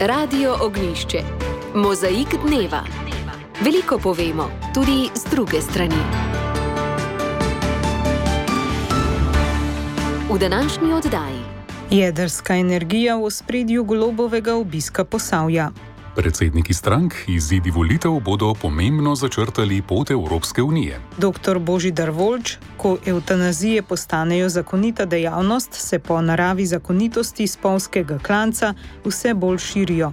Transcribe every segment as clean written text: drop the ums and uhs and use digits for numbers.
Radio Ognjišče. Mozaik dneva. Veliko povemo, tudi z druge strani. V današnji oddaji. Jedrska energija v ospredju Golobovega obiska Posavja. Predsedniki strank izidi volitev bodo pomembno začrtali pot Evropske unije. Dr. Božidar Voljč, ko evtanazije postanejo zakonita dejavnost, se po naravi zakonitosti spolskega klanca vse bolj širijo.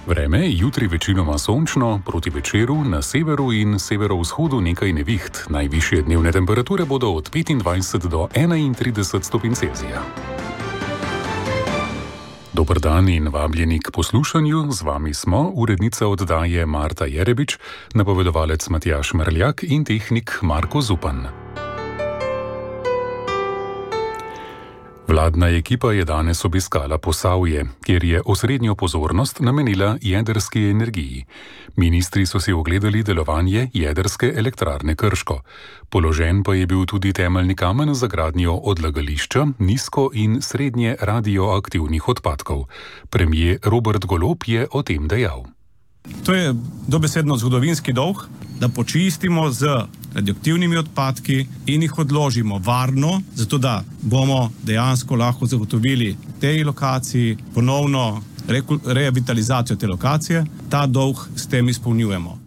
Vreme jutri večinoma sončno, proti večeru na severu in severovzhodu nekaj neviht. Najvišje dnevne temperature bodo od 25 do 31 stopinj Celzija. Dober dan in vabljeni k poslušanju. Z vami smo urednica oddaje Marta Jerebič, napovedovalec Matjaž Merljak in tehnik Marko Zupan. Vladna ekipa je danes obiskala Posavje, kjer je osrednjo pozornost namenila jedrski energiji. Ministri so si ogledali delovanje jedrske elektrarne Krško. Položen pa je bil tudi temeljni kamen za gradnjo odlagališča nizko in srednje radioaktivnih odpadkov. Premier Robert Golob je o tem dejal. To je dobesedno zgodovinski dolg, da počistimo z radioaktivnimi odpadki in jih odložimo varno, zato da bomo dejansko lahko zagotovili tej lokaciji ponovno revitalizacijo te lokacije. Ta dolg s tem izpolnjujemo.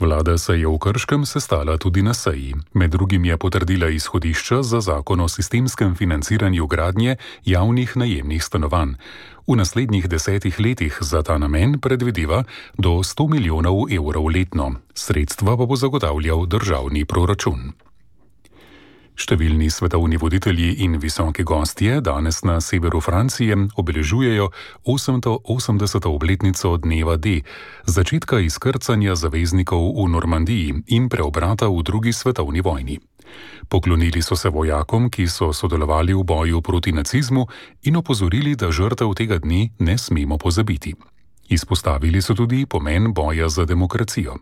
Vlada se je v Krškem sestala tudi na seji. Med drugim je potrdila izhodišča za zakon o sistemskem financiranju gradnje javnih najemnih stanovanj. V naslednjih 10 letih za ta namen predvideva do 100 milijonov evrov letno. Sredstva pa bo zagotavljal državni proračun. Številni svetovni voditelji in visoki gostje danes na severu Francije obeležujejo 880. obletnico dneva D, začetka izkrcanja zaveznikov v Normandiji in preobrata v drugi svetovni vojni. Poklonili so se vojakom, ki so sodelovali v boju proti nacizmu in opozorili, da žrtev tega dne ne smemo pozabiti. Izpostavili so tudi pomen boja za demokracijo.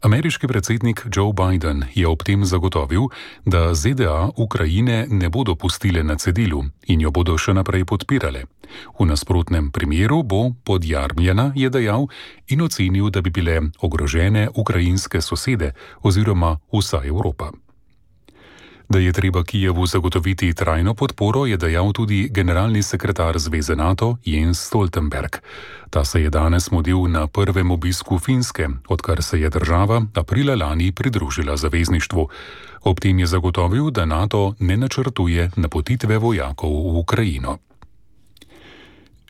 Ameriški predsednik Joe Biden je ob tem zagotovil, da ZDA Ukrajine ne bodo pustile na cedilu in jo bodo še naprej podpirale. V nasprotnem primeru bo podjarmljena, je dejal, in ocenil, da bi bile ogrožene ukrajinske sosede oziroma vsa Evropa. Da je treba Kijevu zagotoviti trajno podporo, je dejal tudi generalni sekretar Zveze NATO Jens Stoltenberg. Ta se je danes mudil na prvem obisku Finske, odkar se je država aprila lani pridružila zavezništvu. Ob tem je zagotovil, da NATO ne načrtuje napotitve vojakov v Ukrajino.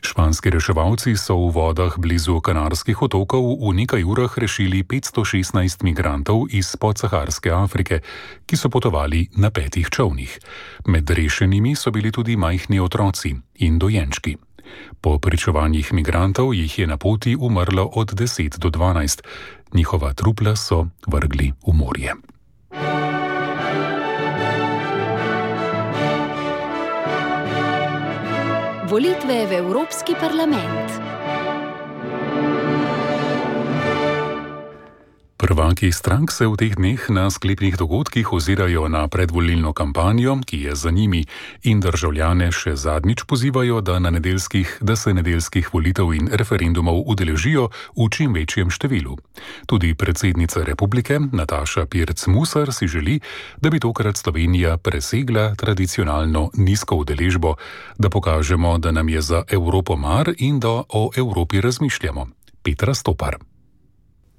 Španski reševalci so v vodah blizu Kanarskih otokov v nekaj urah rešili 516 migrantov iz podsaharske Afrike, ki so potovali na 5 čolnih. Med rešenimi so bili tudi majhni otroci in dojenčki. Po pričevanjih migrantov jih je na poti umrlo od 10 do 12. Njihova trupla so vrgli v morje. Volitve v Evropski parlament. Prvaki strank se v teh dneh na sklepnih dogodkih ozirajo na predvolilno kampanjo, ki je za njimi, in državljane še zadnjič pozivajo, da se nedeljskih volitev in referendumov udeležijo v čim večjem številu. Tudi predsednica republike Nataša Pirc Musar si želi, da bi tokrat Slovenija presegla tradicionalno nizko udeležbo, da pokažemo, da nam je za Evropo mar in da o Evropi razmišljamo. Petra Stopar.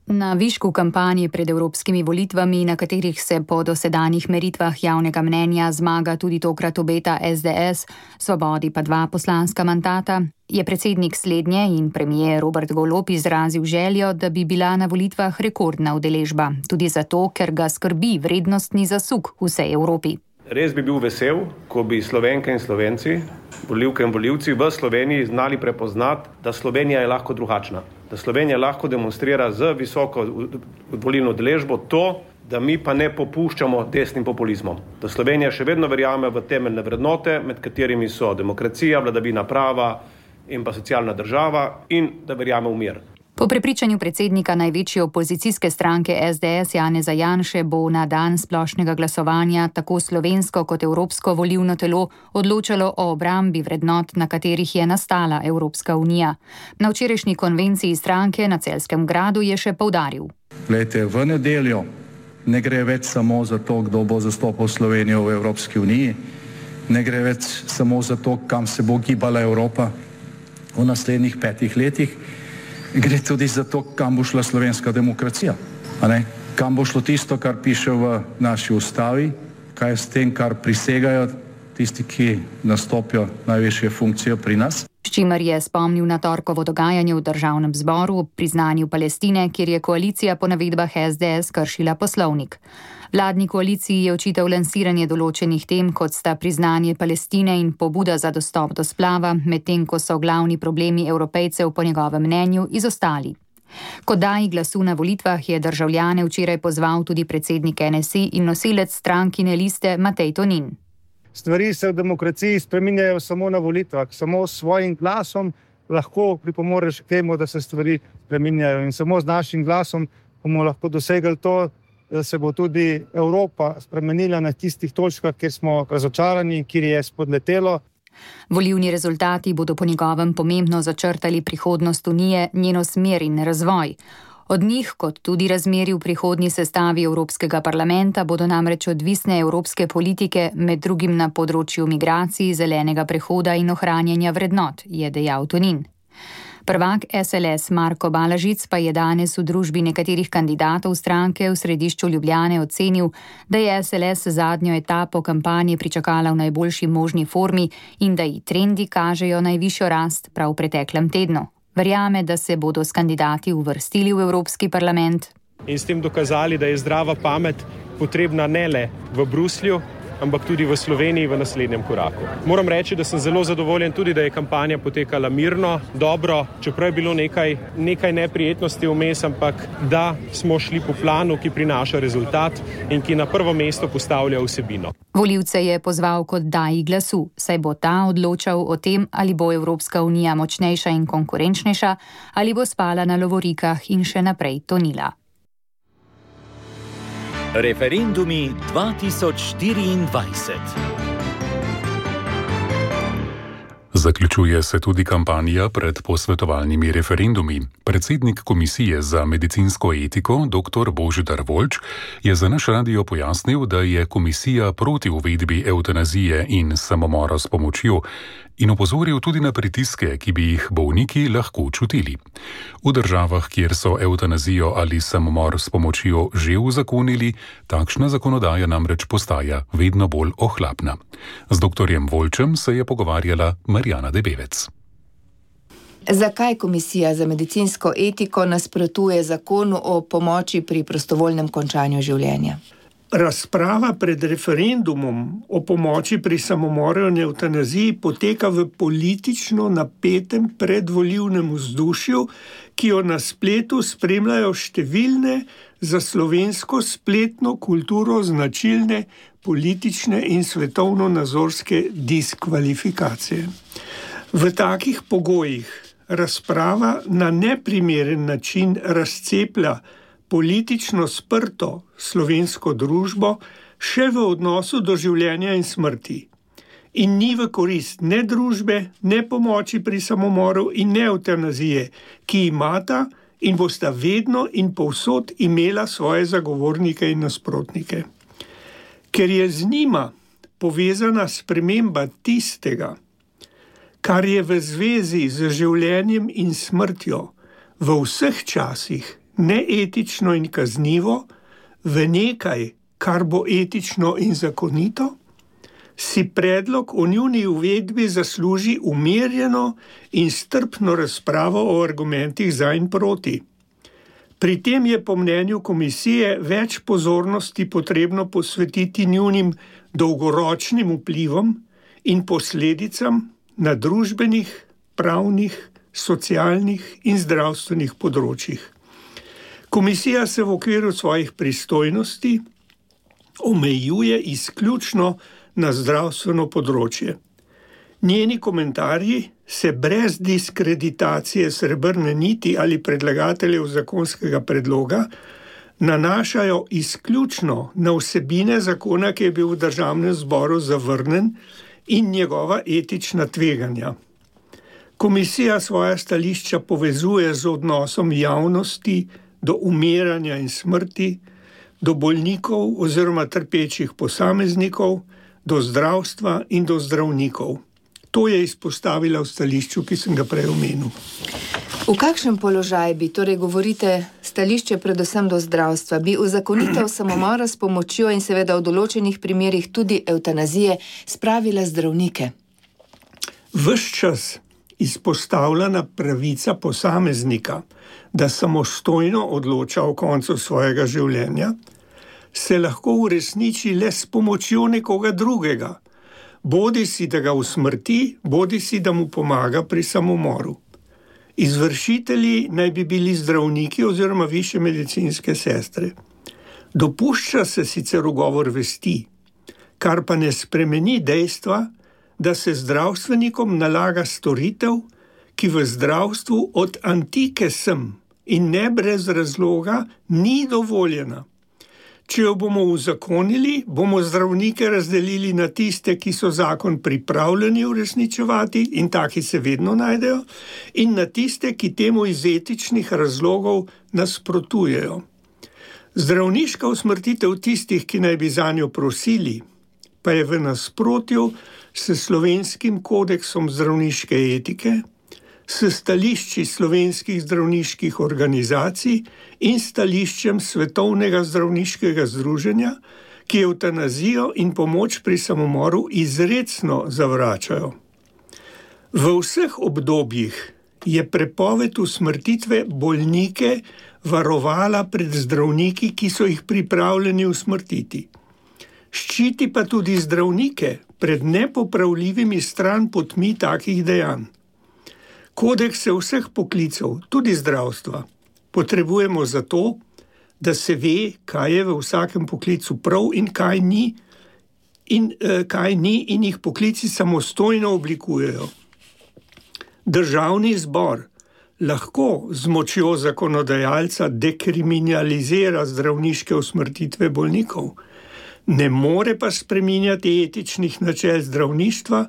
Na višku kampanje pred evropskimi volitvami, na katerih se po dosedanjih meritvah javnega mnenja zmaga tudi tokrat obeta SDS, Svobodi pa 2 poslanska mandata, je predsednik slednje in premier Robert Golob izrazil željo, da bi bila na volitvah rekordna udeležba, tudi zato, ker ga skrbi vrednostni zasuk v vsej Evropi. Res bi bil vesel, ko bi Slovenke in Slovenci, volivke in volivci v Sloveniji znali prepoznati, da Slovenija je lahko drugačna. Da Slovenija lahko demonstrira z visoko volilno udeležbo to, da mi pa ne popuščamo desnim populizmom. Da Slovenija še vedno verjame v temeljne vrednote, med katerimi so demokracija, vladavina prava in pa socialna država, in da verjame v mir. Po prepričanju predsednika največje opozicijske stranke SDS Janeza Janše bo na dan splošnega glasovanja tako slovensko kot evropsko volilno telo odločalo o obrambi vrednot, na katerih je nastala Evropska unija. Na včerajšnji konvenciji stranke na Celjskem gradu je še poudaril. Glejte, v nedeljo ne gre več samo za to, kdo bo zastopal Slovenijo v Evropski uniji, ne gre več samo za to, kam se bo gibala Evropa v naslednjih 5 letih, gre tudi za to, kam bo šla slovenska demokracija. Kam bo šlo tisto, kar piše v naši ustavi, kaj je s tem, kar prisegajo tisti, ki nastopijo najvišje funkcije pri nas. S čimer je spomnil na torkovo dogajanje v državnem zboru ob priznanju Palestine, kjer je koalicija po navedbah SDS kršila poslovnik. Vladni koaliciji je očital lansiranje določenih tem, kot sta priznanje Palestine in pobuda za dostop do splava, medtem ko so glavni problemi Evropejcev po njegovem mnenju izostali. Kot daji glasu na volitvah je državljane včeraj pozval tudi predsednik NSI in nosilec strankine liste Matej Tonin. Stvari se v demokraciji spreminjajo samo na volitvah, samo s svojim glasom lahko pripomoreš k temu, da se stvari spreminjajo in samo z našim glasom bomo lahko dosegli to, da se bo tudi Evropa spremenila na tistih točkah, kjer smo razočarani, kjer je spodletelo. Volilni rezultati bodo po njegovem pomembno začrtali prihodnost Unije, njeno smer in razvoj. Od njih, kot tudi razmeri v prihodnji sestavi Evropskega parlamenta, bodo namreč odvisne evropske politike, med drugim na področju migracij, zelenega prehoda in ohranjanja vrednot, je dejal Tonin. Prvak SLS Marko Balažic pa je danes v družbi nekaterih kandidatov stranke v središču Ljubljane ocenil, da je SLS zadnjo etapo kampanje pričakala v najboljši možni formi in da ji trendi kažejo najvišjo rast prav v preteklem tednu. Verjame, da se bodo s kandidati uvrstili v Evropski parlament. In s tem dokazali, da je zdrava pamet potrebna ne le v Bruslju, ampak tudi v Sloveniji v naslednjem koraku. Moram reči, da sem zelo zadovoljen tudi, da je kampanja potekala mirno, dobro, čeprav je bilo nekaj neprijetnosti vmes, ampak da smo šli po planu, ki prinaša rezultat in ki na prvo mesto postavlja vsebino. Volivce je pozval kot daji glasu, saj bo ta odločal o tem, ali bo Evropska unija močnejša in konkurenčnejša, ali bo spala na lovorikah in še naprej tonila. Referendumi 2024. Zaključuje se tudi kampanja pred posvetovalnimi referendumi. Predsednik Komisije za medicinsko etiko, dr. Božidar Voljč, je za naš radio pojasnil, da je komisija proti uvedbi evtanazije in samomora s pomočjo in opozoril tudi na pritiske, ki bi jih bolniki lahko čutili. V državah, kjer so evtanazijo ali samomor s pomočjo že uzakonili, takšna zakonodaja namreč postaja vedno bolj ohlapna. Z dr. Voljčem se je pogovarjala Marjana Debevec. Zakaj Komisija za medicinsko etiko nasprotuje zakonu o pomoči pri prostovoljnem končanju življenja? Razprava pred referendumom o pomoči pri samomoru in evtanaziji poteka v politično napetem predvolilnem vzdušju, ki jo na spletu spremljajo številne za slovensko spletno kulturo značilne politične in svetovno-nazorske diskvalifikacije. V takih pogojih razprava na neprimeren način razceplja politično sprto slovensko družbo še v odnosu do življenja in smrti in ni v korist ne družbe, ne pomoči pri samomoru in ne evtanazije, ki imata in bosta vedno in povsod imela svoje zagovornike in nasprotnike. Ker je z njima povezana sprememba tistega, kar je v zvezi z življenjem in smrtjo v vseh časih neetično in kaznivo, v nekaj, kar bo etično in zakonito, si predlog o njuni uvedbi zasluži umirjeno in strpno razpravo o argumentih za in proti. Pri tem je po mnenju komisije več pozornosti potrebno posvetiti njunim dolgoročnim vplivom in posledicam na družbenih, pravnih, socialnih in zdravstvenih področjih. Komisija se v okviru svojih pristojnosti omejuje izključno na zdravstveno področje. Njeni komentarji se brez diskreditacije Srebrne niti ali predlagateljev zakonskega predloga nanašajo izključno na vsebine zakona, ki je bil v Državnem zboru zavrnjen, in njegova etična tveganja. Komisija svoja stališča povezuje z odnosom javnosti do umiranja in smrti, do bolnikov oziroma trpečih posameznikov, do zdravstva in do zdravnikov. To je izpostavila v stališču, ki sem ga prej omenil. V kakšen položaj bi, torej govorite stališče predvsem do zdravstva, bi uzakonitev samomora s pomočjo in seveda v določenih primerih tudi evtanazije spravila zdravnike? Ves čas izpostavljena pravica posameznika, da samostojno odloča o koncu svojega življenja, se lahko uresniči le s pomočjo nekoga drugega, bodi si da ga usmrti, bodi si da mu pomaga pri samomoru. Izvršitelji naj bi bili zdravniki oziroma višje medicinske sestre. Dopušča se sicer ugovor vesti, kar pa ne spremeni dejstva, da se zdravstvenikom nalaga storitev, ki v zdravstvu od antike sem in ne brez razloga ni dovoljena. Če jo bomo uzakonili, bomo zdravnike razdelili na tiste, ki so zakon pripravljeni uresničevati, in taki se vedno najdejo, in na tiste, ki temu iz etičnih razlogov nasprotujejo. Zdravniška usmrtitev tistih, ki naj bi zanjo prosili, pa je v nasprotju s Slovenskim kodeksom zdravniške etike, s stališči slovenskih zdravniških organizacij in stališčem Svetovnega zdravniškega združenja, ki evtanazijo in pomoč pri samomoru izrecno zavračajo. V vseh obdobjih je prepoved usmrtitve bolnike varovala pred zdravniki, ki so jih pripravljeni usmrtiti. Ščiti pa tudi zdravnike pred nepopravljivimi stranpotmi takih dejanj. Kodekse vseh poklicev, tudi zdravstva, potrebujemo zato, da se ve, kaj je v vsakem poklicu prav in kaj ni, in jih poklici samostojno oblikujejo. Državni zbor lahko z močjo zakonodajalca dekriminalizira zdravniške usmrtitve bolnikov, ne more pa spreminjati etičnih načel zdravništva,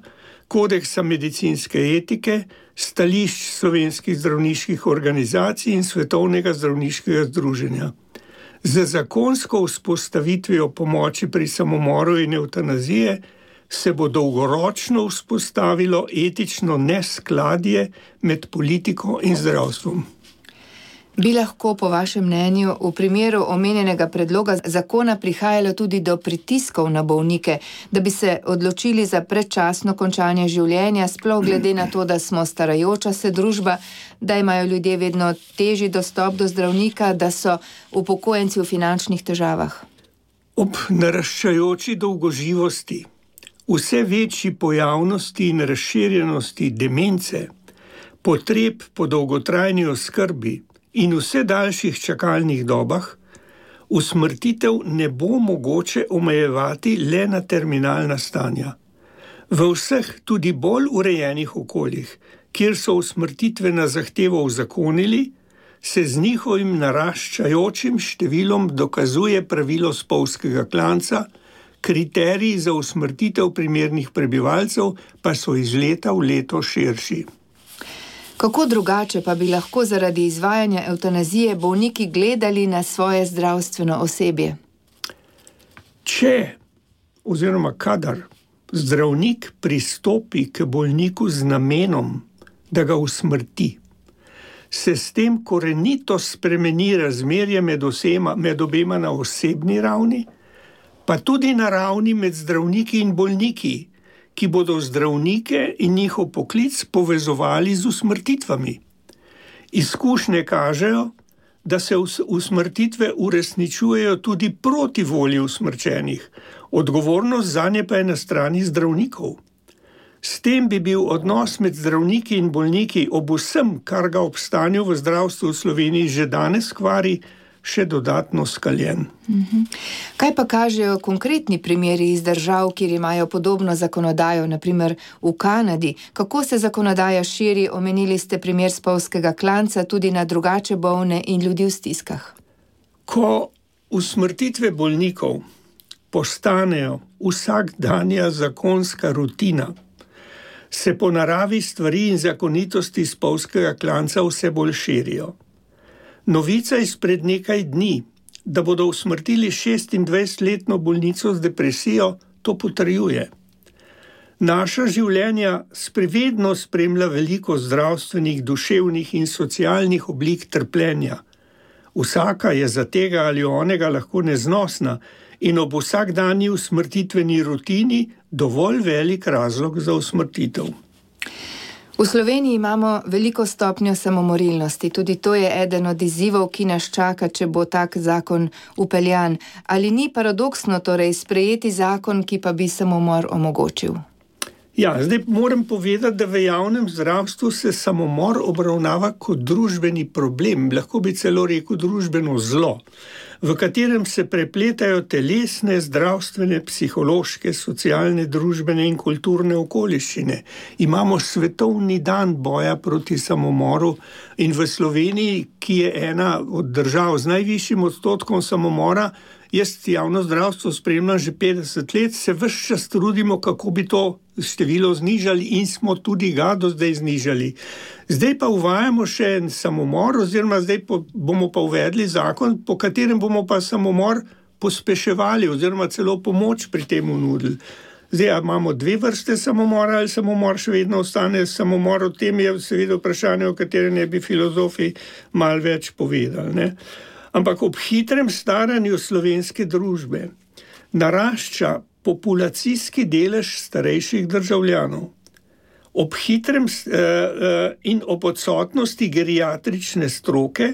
kodeksa medicinske etike, stališč slovenskih zdravniških organizacij in Svetovnega zdravniškega združenja. Z zakonsko vzpostavitvijo pomoči pri samomoru in evtanazije se bo dolgoročno vzpostavilo etično neskladje med politiko in zdravstvom. Bi lahko po vašem mnenju v primeru omenjenega predloga zakona prihajalo tudi do pritiskov na bolnike, da bi se odločili za predčasno končanje življenja, sploh glede na to, da smo starajoča se družba, da imajo ljudje vedno težji dostop do zdravnika, da so upokojenci v finančnih težavah? Ob naraščajoči dolgoživosti, vse večji pojavnosti in razširjenosti demence, potreb po dolgotrajni oskrbi in vse daljših čakalnih dobah, usmrtitev ne bo mogoče omejevati le na terminalna stanja. V vseh tudi bolj urejenih okoljih, kjer so usmrtitve na zahtevo uzakonili, se z njihovim naraščajočim številom dokazuje pravilo spolzkega klanca, kriteriji za usmrtitev primernih prebivalcev pa so iz leta v leto širši. Kako drugače pa bi lahko zaradi izvajanja evtanazije bolniki gledali na svoje zdravstveno osebje? Če oziroma kadar zdravnik pristopi k bolniku z namenom, da ga usmrti, se s tem korenito spremeni razmerje med obema na osebni ravni, pa tudi na ravni med zdravniki in bolniki, ki bodo zdravnike in njihov poklic povezovali z usmrtitvami. Izkušnje kažejo, da se usmrtitve uresničujejo tudi proti volji usmrčenih, odgovornost zanje pa je na strani zdravnikov. S tem bi bil odnos med zdravniki in bolniki ob vsem, kar ga ob stanju v zdravstvu v Sloveniji že danes kvari, še dodatno skaljen. Kaj pa kažejo konkretni primeri iz držav, kjer imajo podobno zakonodajo, naprimer v Kanadi? Kako se zakonodaja širi? Omenili ste primer spolzkega klanca tudi na drugače bolne in ljudi v stiskah. Ko usmrtitve bolnikov postanejo vsakdanja zakonska rutina, se po naravi stvari in zakonitosti spolzkega klanca vse bolj širijo. Novica izpred nekaj dni, da bodo usmrtili 26-letno bolnico z depresijo, to potrjuje. Naša življenja sprevedno spremlja veliko zdravstvenih, duševnih in socialnih oblik trpljenja. Vsaka je za tega ali onega lahko neznosna in ob vsakdanji usmrtitveni rutini dovolj velik razlog za usmrtitev. V Sloveniji imamo veliko stopnjo samomorilnosti. Tudi to je eden od izzivov, ki nas čaka, če bo tak zakon upeljan. Ali ni paradoksno torej sprejeti zakon, ki pa bi samomor omogočil? Ja, zdaj moram povedati, da v javnem zdravstvu se samomor obravnava kot družbeni problem, lahko bi celo rekel družbeno zlo, v katerem se prepletajo telesne, zdravstvene, psihološke, socialne, družbene in kulturne okoliščine. Imamo svetovni dan boja proti samomoru in v Sloveniji, ki je ena od držav z najvišjim odstotkom samomora, jaz javno zdravstvo spremljam že 50 let, se ves čas trudimo, kako bi to število znižali in smo tudi ga do zdaj znižali. Zdaj pa uvajamo še en samomor, oziroma zdaj bomo pa uvedli zakon, po katerem bomo pa samomor pospeševali oziroma celo pomoč pri tem nudili. Zdaj imamo dve vrste samomora ali samomor še vedno ostane samomor, o tem je seveda vprašanje, o katerem ne bi filozofi malo več povedali, ne? Ampak ob hitrem staranju slovenske družbe narašča populacijski delež starejših državljanov. Ob hitrem in ob odsotnosti geriatrične stroke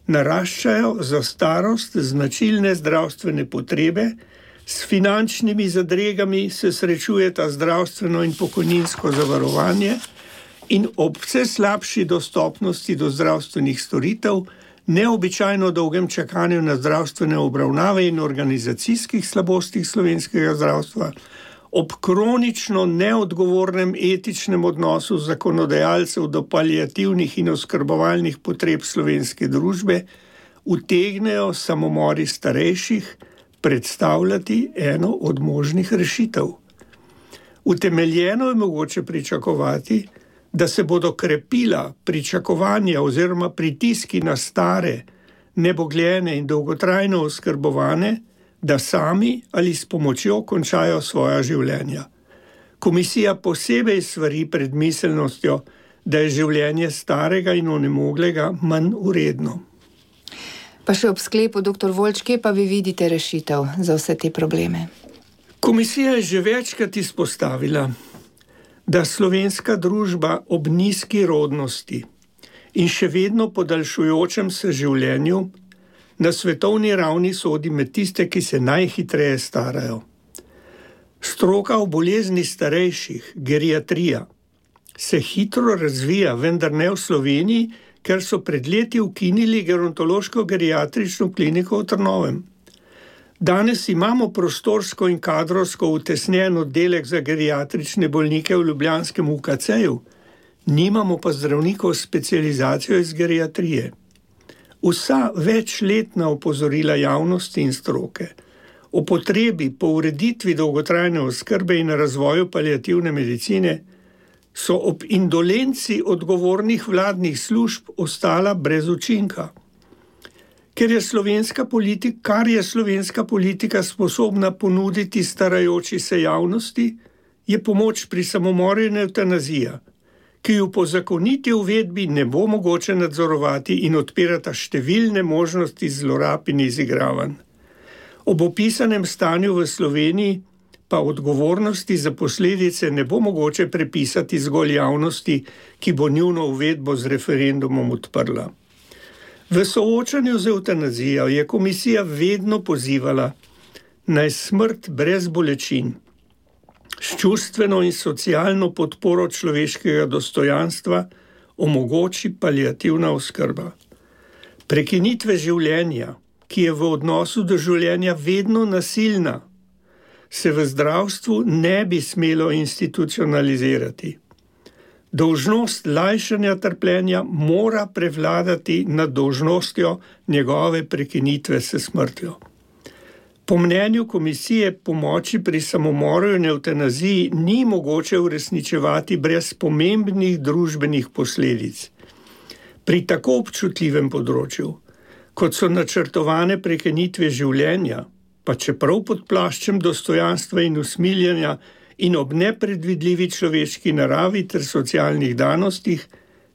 naraščajo za starost značilne zdravstvene potrebe, s finančnimi zadregami se srečujeta zdravstveno in pokojninsko zavarovanje in ob vse slabši dostopnosti do zdravstvenih storitev, neobičajno dolgem čakanju na zdravstvene obravnave in organizacijskih slabostih slovenskega zdravstva, ob kronično neodgovornem etičnem odnosu zakonodajalcev do paliativnih in oskrbovalnih potreb slovenske družbe, utegnejo samomori starejših predstavljati eno od možnih rešitev. Utemeljeno je mogoče pričakovati, da se bodo krepila pričakovanja oziroma pritiski na stare, nebogljene in dolgotrajno oskrbovane, da sami ali s pomočjo končajo svoja življenja. Komisija posebej svari pred miselnostjo, da je življenje starega in onemoglega manj vredno. Pa še ob sklepu, dr. Voljč, kje pa vi vidite rešitev za vse te probleme? Komisija je že večkrat izpostavila, da slovenska družba ob nizki rodnosti in še vedno podaljšujočem se življenju na svetovni ravni sodi med tiste, ki se najhitreje starajo. Stroka v bolezni starejših, geriatrija, se hitro razvija, vendar ne v Sloveniji, ker so pred leti ukinili gerontološko-geriatrično kliniko v Trnovem. Danes imamo prostorsko in kadrovsko utesnjen oddelek za geriatrične bolnike v ljubljanskem UKC-ju, nimamo pa zdravnikov s specializacijo iz geriatrije. Vsa večletna opozorila javnosti in stroke o potrebi po ureditvi dolgotrajne oskrbe in razvoju paliativne medicine so ob indolenci odgovornih vladnih služb ostala brez učinka. Kar je slovenska politika sposobna ponuditi starajoči se javnosti, je pomoč pri samomoru in evtanazija, ki jo po zakoniti uvedbi ne bo mogoče nadzorovati in odpirata številne možnosti zlorab in izigravanj. Ob opisanem stanju v Sloveniji pa odgovornosti za posledice ne bo mogoče prepisati zgolj javnosti, ki bo njuno uvedbo z referendumom odprla. V soočanju z evtanazijo je komisija vedno pozivala, naj smrt brez bolečin, s čustveno in socialno podporo človeškega dostojanstva omogoči paliativna oskrba. Prekinitve življenja, ki je v odnosu do življenja vedno nasilna, se v zdravstvu ne bi smelo institucionalizirati. Dolžnost lajšanja trpljenja mora prevladati nad dolžnostjo njegove prekinitve s smrtjo. Po mnenju komisije pomoči pri samomoru in evtanaziji ni mogoče uresničevati brez pomembnih družbenih posledic. Pri tako občutljivem področju, kot so načrtovane prekinitve življenja, pa čeprav pod plaščem dostojanstva in usmiljenja in ob nepredvidljivi človeški naravi ter socialnih danostih,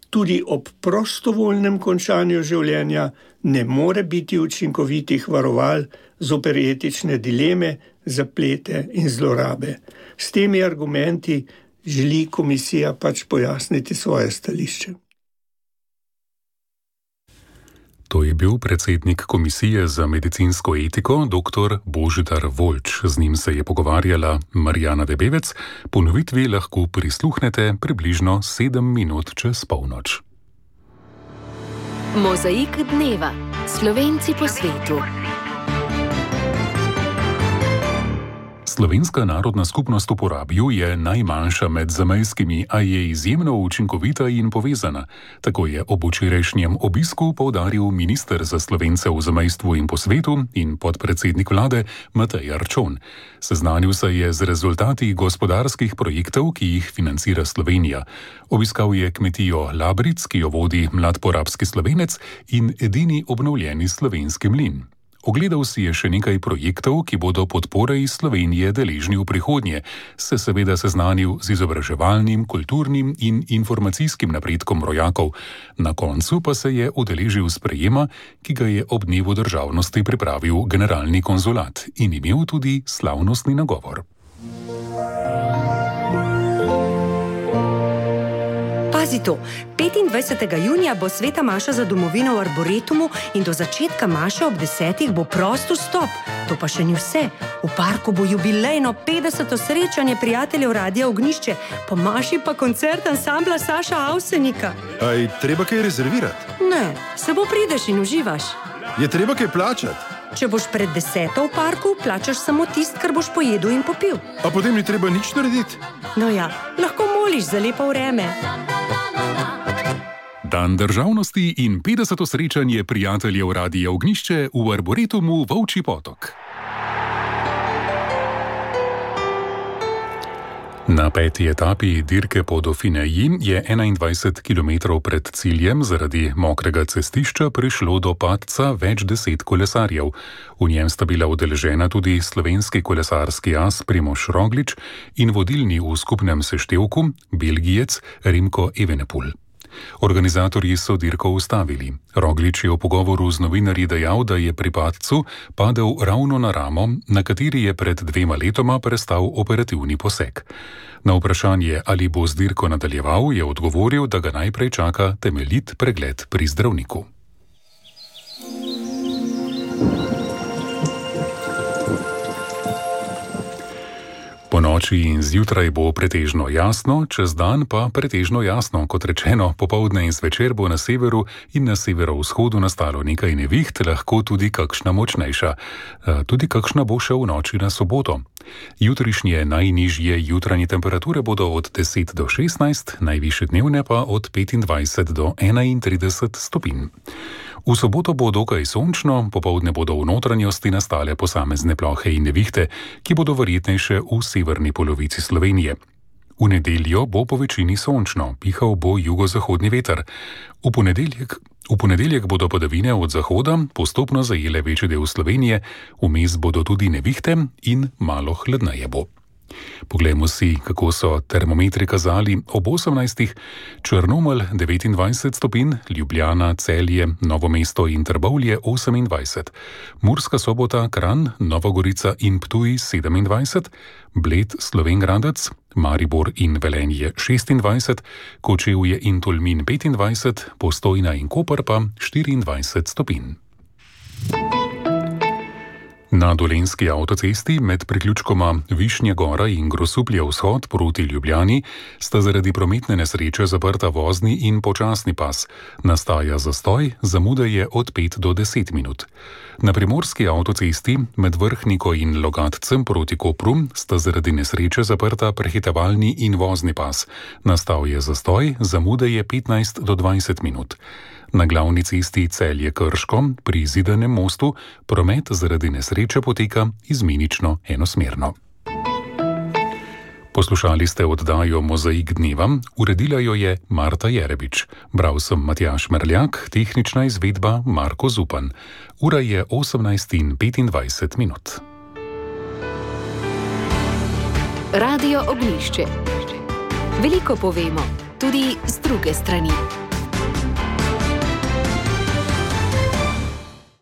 tudi ob prostovoljnem končanju življenja ne more biti učinkovitih varoval zoper etične dileme, zaplete in zlorabe. S temi argumenti želi komisija pojasniti svoje stališče. To je bil predsednik Komisije za medicinsko etiko, dr. Božidar Voljč. Z njim se je pogovarjala Marjana Debevec. Ponovitvi lahko prisluhnete približno 7 minut čez polnoč. Mozaik dneva. Slovenci po svetu. Slovenska narodna skupnost v Porabju je najmanjša med zamejskimi, a je izjemno učinkovita in povezana. Tako je ob včerajšnjem obisku poudaril minister za Slovence v zamejstvu in po svetu in podpredsednik vlade Matej Arčon. Seznanil se je z rezultati gospodarskih projektov, ki jih financira Slovenija. Obiskal je kmetijo Labric, ki jo vodi mlad porabski Slovenec in edini obnovljeni slovenski mlin. Ogledal si je še nekaj projektov, ki bodo podpore iz Slovenije deležni v prihodnje, se seveda seznanil z izobraževalnim, kulturnim in informacijskim napredkom rojakov. Na koncu pa se je udeležil sprejema, ki ga je ob dnevu državnosti pripravil generalni konzulat in imel tudi slavnostni nagovor. Pazi to, 25. junija bo sveta maša za domovino v Arboretumu in do začetka maše ob 10. bo prost vstop. To pa še ni vse. V parku bo jubilejno 50. srečanje prijateljev Radia Ognjišče, po maši pa koncert ansambla Saša Avsenika. Aj, treba kaj rezervirati? Ne, samo prideš in uživaš. Je treba kaj plačati? Če boš pred 10. v parku, plačaš samo tist, kar boš pojedel in popil. A potem ni treba nič narediti? No ja, lahko moliš za lepo vreme. Dan državnosti in 50. srečanje prijateljev Radia Ognjišče v Arboretumu Volčji Potok. Na 5. etapi dirke po Dauphineji je 21 km pred ciljem zaradi mokrega cestišča prišlo do padca več 10 kolesarjev. V njem sta bila udeležena tudi slovenski kolesarski as Primož Roglič in vodilni v skupnem seštevku Belgijec Remco Evenepoel. Organizatorji so dirko ustavili. Roglič je v pogovoru z novinarji dejal, da je pri padcu padel ravno na ramo, na kateri je pred 2 letoma prestal operativni poseg. Na vprašanje, ali bo z dirko nadaljeval, je odgovoril, da ga najprej čaka temeljit pregled pri zdravniku. Po noči in zjutraj bo pretežno jasno, čez dan pa pretežno jasno. Kot rečeno, popoldne in zvečer bo na severu in na severovzhodu nastalo nekaj neviht, lahko tudi kakšna močnejša. Tudi kakšna bo še v noči na soboto. Jutrišnje najnižje jutranje temperature bodo od 10 do 16, najvišje dnevne pa od 25 do 31 stopinj. V soboto bo dokaj sončno, popoldne bodo v notranjosti nastale posamezne plohe in nevihte, ki bodo verjetnejše v severni polovici Slovenije. V nedeljo bo po večini sončno, pihal bo jugozahodni veter. V ponedeljek bodo padavine od zahoda postopno zajele večji del Slovenije, vmes bodo tudi nevihte in malo hladneje bo. Poglejmo si, kako so termometri kazali ob 18. Črnomelj 29 stopinj, Ljubljana, Celje, Novo mesto in Trbovlje 28, Murska Sobota, Kranj, Nova Gorica in Ptuj 27, Bled, Slovenj Gradec, Maribor in Velenje 26, Kočevje in Tolmin 25, Postojna in Koper pa 24 stopinj. Na Dolenjski avtocesti med priključkoma Višnje Gora in Grosuplje vzhod proti Ljubljani sta zaradi prometne nesreče zaprta vozni in počasni pas. Nastaja zastoj, zamuda je od 5 do 10 minut. Na Primorski avtocesti med Vrhniko in Logatcem proti Kopru sta zaradi nesreče zaprta prehitevalni in vozni pas. Nastal je zastoj, zamuda je 15 do 20 minut. Na glavni cesti Celje-Krško pri Zidanem mostu promet zaradi nesreče poteka izmenično enosmerno. Poslušali ste oddajo Mozaik dneva, uredila jo je Marta Jerebič. Bral sem Matjaž Merljak, tehnična izvedba Marko Zupan. Ura je 18:25. Radio Ognjišče. Veliko povemo, tudi z druge strani.